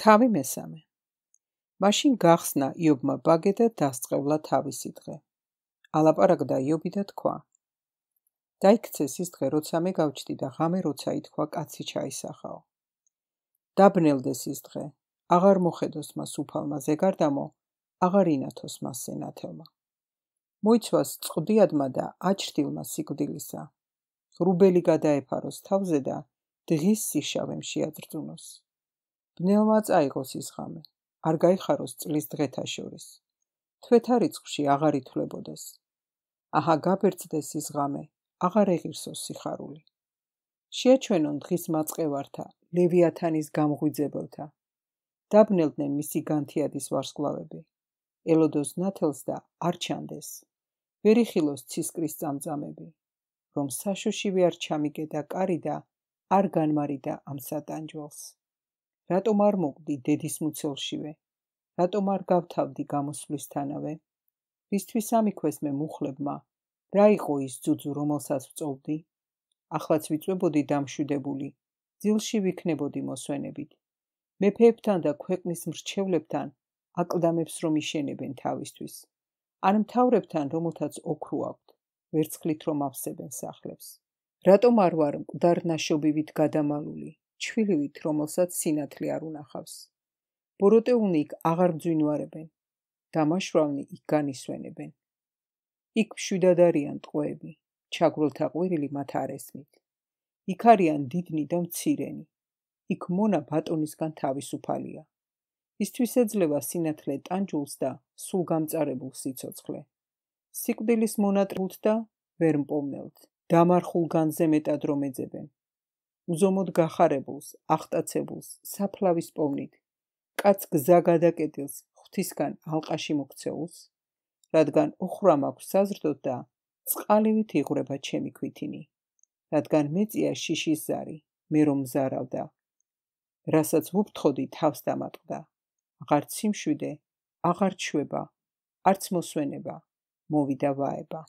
თავი მესამე. მაშინ გახსნა იობმა ბაგე და დასწყევლა თავისი დღე. ალაპარაკდა იობი და თქვა: დაიქცეს ის დღე, როცა მე გავჩდი და ღამე როცა ითქვა კაცი ჩაისახაო. დაბნელდეს ის დღე, აღარ მოხედოს მას უფალმა ზეგარდამო, აღარ ინათოს მასზე ნათელმა. მოიცვას წყდიადმა და აჩრდილმა სიკვდილისა. ღრუბელი გადაეფაროს თავზე და დღის სიშავემ შეაძრძუნოს. ბნელმა წაიღოს ის ღამე, არ გაიხაროს წლის დღეთა შორის. თვეთა რიცხვში აღარ ითვლებოდეს. აჰა გაბერძდეს ის ღამე, აღარ ეღირსოს სიხარული. შეაჩვენონ დღის მაწყევართა, ლევიათანის გამღვიძებელთა. დაბნელდნენ მისი განთიადის ვარსკვლავები. ელოდოს ნათელს და არ ჩანდეს. ვერ იხილოს ცისკრის წამწამები. რომ საშოშივე არ ჩამიგედა კარი და არ განმარიდა ამ სატანჯველს. რატომ არ მოკვდი დედის მუცელშივე? რატომ არ გავთავდი გამოსვლისთანავე? რისთვის ამიქვეს მე მუხლებმა? რა იყო ის ძუძუ, რომელსაც ვწოვდი? ახლაც ვიწვებოდი დამშვიდებული, ძილში ვიქნებოდი მოსვენებით. მეფეებთან და ქვეყნის მრჩევლებთან აკლდამებს რომ იშენებენ თავისთვის. ან მთავრებთან, რომელთაც ოქრო აქვთ, ვერცხლით რომ ავსებენ სახლებს. რატომ არ ვარ მკვდარ ნაშობივით გადამალული, ჩვილივით, რომელსაც სინათლე არ უნახავს? ბოროტეულნი იქ აღარ მძვინვარებენ, დამაშვრალნი იქ განისვენებენ. იქ მშვიდად არიან ტყვეები, ჩაგვრილთა ყვირილი მათ არ ესმით. იქ არიან დიდნი და მცირენი. იქ მონა ბატონისგან თავისუფალია. ისთვის ეძლევა სინათლე ტანჯულს და სულ გამწარებულ სიცოცხლე. სიკვდილის მონატრებულთ და ვერ მპოვნელთ. დამარხულ განზე მეტად რომ ეძებენ. უზომოდ გახარებულს, აღტაცებულს, საფლავის პოვნით. კაც გზა გადაკეტილს ღვთისგან ალყაში მოქცეულს, რადგან ოხრა მაქვს საზრდოდ და წყალივით იღვრება ჩემი ქვითინი. რადგან მეწია შიშის ზარი, მე რომ მზარავდა. რასაც ვუფრთხოდი თავს დამატყდა. აღარ ციმშვიდე, აღარ ჩვება, არც მოსვენება, მოვიდა ვაება.